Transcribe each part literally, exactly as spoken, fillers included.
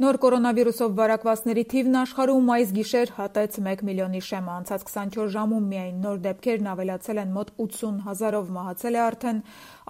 Նոր կորոնավիրուսով վարակվածների թիվն աշխարհում այս գիշեր հատեց մեկ միլիոնի շեմը, անցած քսանչորս ժամում միայն նոր դեպքերն ավելացել են մոտ ութսուն հազարով, մահացել է արդեն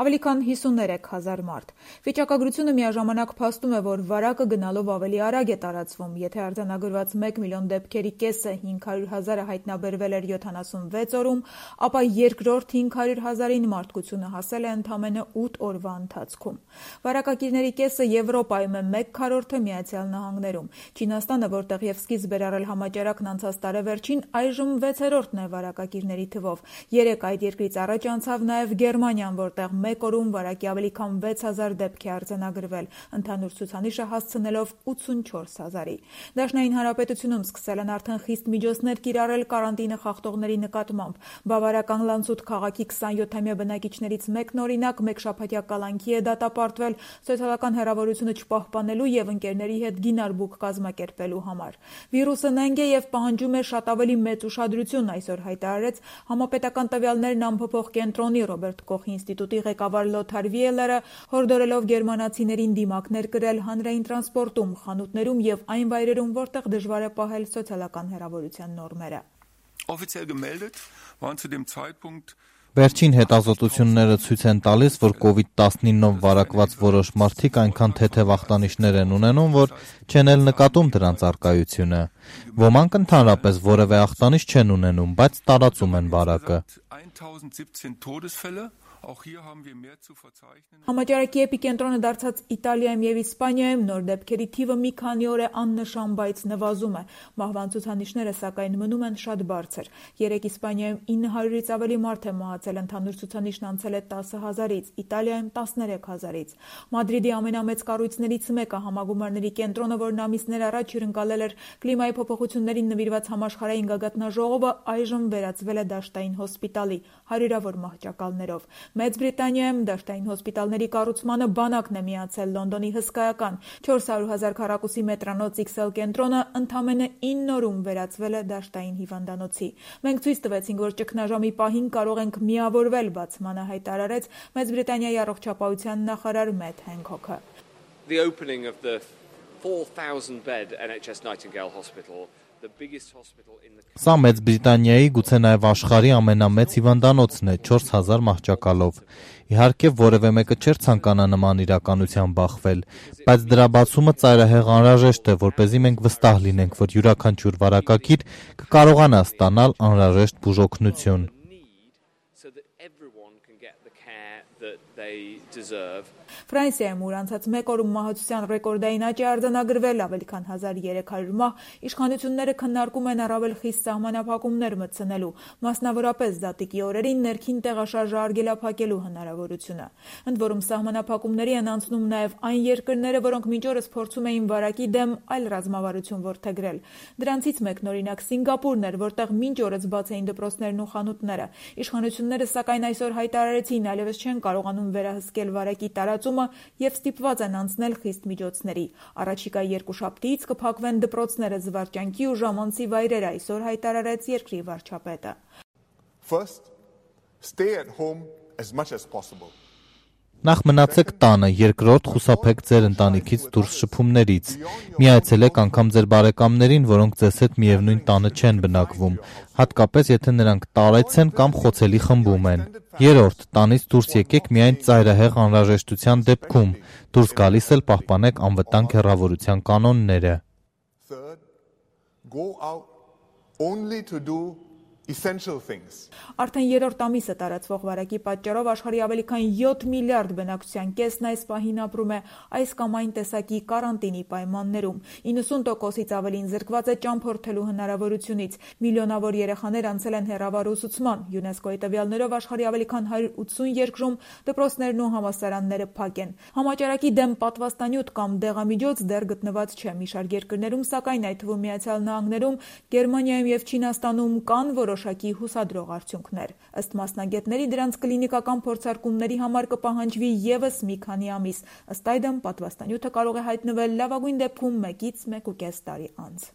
ավելի քան հիսուններեք հազար մարդ։ Վիճակագրությունը միաժամանակ փաստում է, որ վարակը գնալով ավելի արագ է տարածվում, եթե արձանագրված մեկ միլիոն դեպքերի կեսը հինգ հարյուր հազարը հայտնաբերվել էր յոթանասունվեց օրում, ապա երկրորդ հինգ հարյուր հազարին մարդկությունը հասել է ընդամենը ութ օրվա ընթացքում։ Վարակակիրների կեսը Եվրոպայում է, մեկ քառորդը Միացյալ Նահանգներում։ Չինաստանը, որտեղ եւ սկիզբ էր առել համաճարակն անցած տարեվերջին, այժմ վեցերորդն է վարակակիրների թվով։ Երեք այդ երկրից առաջ անցավ նաեւ Գերմանիան, որտեղ մեկ օրում վարակի ավելի քան վեց հազար դեպք է արձանագրվել, ընդհանուր ցուցանիշը հասցնելով ութսունչորս հազարի։ Դաշնային Հանրապետությունում սկսել են արդեն խիստ միջոցներ կիրառել կարանտինը խախտողների նկատմամբ։ Բավարական Լանցուտ քաղաքի քսանյոթամյա բնակիչներից մեկն օրինակ մեկ շաբաթյա կալանքի է դատապարտվել սոցիալական հեռավորությունը չպահպանելու եւ ընկերների հետ գինարբուք կազմակերպելու համար։ Վիրուսը նենգ է եւ պահանջում է շատ ավելի մեծ ուշադրություն, այսօր հայտարարեց համապետական տվյալներն ամփոփող կենտրոնի Ռոբերտ Կոխի ինստիտուտի ղեկավար Լոթար Վիելերը, հորդորելով գերմանացիներին դիմակներ կրել հանրային տրանսպորտում, խանութներում եւ այն վայրերում, որտեղ դժվար է պահել սոցիալական հեռավորության նորմերը։ Վերջին հետազոտությունները ցույց են տալիս, որ կովիդ տասնինով վարակված որոշ մարդիկ այնքան թեթև ախտանիշներ են ունենում, որ չեն էլ նկատում դրանց առկայությունը։ Ոմանք ընդհանրապես որևէ ախտանիշ չեն ունենում, բայց տարածում են վարակը։ Համաճարակի էպիկենտրոնը դարձած Իտալիայում եւ Իսպանիայում նոր դեպքերի թիվը մի քանի օր է աննշան, բայց նվազում է։ Մահվան ցուցանիշները սակայն մնում են շատ բարձր։ Երեք Իսպանիայում ինը հարյուրից ավելի մարդ է մահացել, ընդհանուր ցուցանիշն անցել է տասը հազարից, Իտալիայում տասներեք հազարից։ Մադրիդի ամենամեծ կառույցներից մեկը, Համագումարների կենտրոնը, որն ամիսներ առաջ հյուրընկալել էր կլիմայի փոփոխություններին նվիրված համաշխարհային գագաթնաժողովը, այժմ վերածվել է դաշտային հոսպիտալի հարյուրավոր մահճակալներով։ Մեծ Բրիտանիայում դաշտային հոսպիտալների կառուցմանը բանակն է միացել Լոնդոնի հսկայական չորս հարյուր հազար քառակուսի մետրանոց X L կենտրոնը ընդամենը ինը օրում վերածվել է դաշտային հիվանդանոցի։ Մենք ցույց տվեցինք, որ ճգնաժամի պահին կարող ենք միավորվել, բացմանը հայտարարեց Մեծ Բրիտանիայի առողջապահության նախարար Մեթ Հենքոքը։ The opening of the four thousand bed N H S Nightingale Hospital. Սա Մեծ Բրիտանիայի, գուցե նաև աշխարհի ամենամեծ հիվանդանոցն է, չորս հազար մահճակալով։ Իհարկե, որևէ մեկը չէր ցանկանա նման իրականության բախվել, բայց դրա բացումը ծայրահեղ անհրաժեշտ է, որպեսզի մենք վստահ լինենք, որ յուրաքանչյուր վարակակիր կկարողանա ստանալ անհրաժեշտ բուժօգնություն։ Ֆրանսիայում ուր անցած մեկ օրում մահացության ռեկորդային աճ է արձանագրվել, ավելի քան հազար երեք հարյուր մահ, իշխանությունները քննարկում են առավել խիստ սահմանափակումներ մտցնելու, մասնավորապես զատիկի օրերին ներքին տեղաշարժը արգելափակելու հնարավորությունը։ Ընդ որում սահմանափակումների են անցնում նաև այն երկրները, որոնք մինչ օրս փորձում էին վարակի դեմ այլ ռազմավարություն որդեգրել։ Դրանցից մեկն օրինակ Սինգապուրն էր, որտեղ մինչ օրս բաց էին դպրոցներն ու խանութները։ Իշխանությունները սակայն այսօր հայտարարեցին, այլևս չեն կարողանում վերահսկել վարակի տարածումը եւ ստիպված են անցնել խիստ միջոցների։ Առաջիկա երկուշաբթիից կփակվեն դպրոցները, զվարճանքի ու ժամանցի վայրերը, այսօր հայտարարեց երկրի վարչապետը։ First, stay at home as much as possible. Նախ մնացեք տանը, երկրորդ խուսափեք ձեր ընտանիքից դուրս շփումներից։ Մի այցելեք անգամ ձեր բարեկամներին, որոնք ձեզ հետ միևնույն տանը չեն բնակվում, հատկապես եթե նրանք տարեց են կամ խոցելի խմբում են։ Երրորդ, տանից դուրս եկեք միայն ծայրահեղ անհրաժեշտության դեպքում, դուրս գալիս էլ պահպանեք անվտանգ հեռավորության կանոնները։ Third, go out only to do essential things. Արդեն երրորդ ամիսը տարածվող վարակի պատճառով աշխարհի ավելի քան յոթ միլիարդ բնակչության կեսն այս պահին ապրում է այս կամ այն տեսակի կարանտինի պայմաններում։ իննսուն տոկոսից ավելին զրկված է ճամփորդելու հնարավորությունից։ Միլիոնավոր երեխաներ անցել են հեռավար ուսուցման։ ՅՈՒՆԵՍԿՕ-ի տվյալներով աշխարհի ավելի քան հարյուր ութսուն երկրում դպրոցներն ու համալսարանները փակ են։ Համաճարակի դեմ պատվաստանյութ կամ դեղամիջոց դեռ գտնված չէ։ Մի շարք երկրներում, սակայն այդ թվում Միացյալ Նահանգներում, Գերմանիայում եւ Չինաստանում կան որոշակի հուսադրող արդյունքներ։ Ըստ մասնագետների, դրանց կլինիկական փորձարկումների համար կպահանջվի ևս մի քանի ամիս։ Ըստ այդմ պատվաստանյութը կարող է հայտնվել լավագույն դեպքում մեկից մեկ ու կես տարի անց։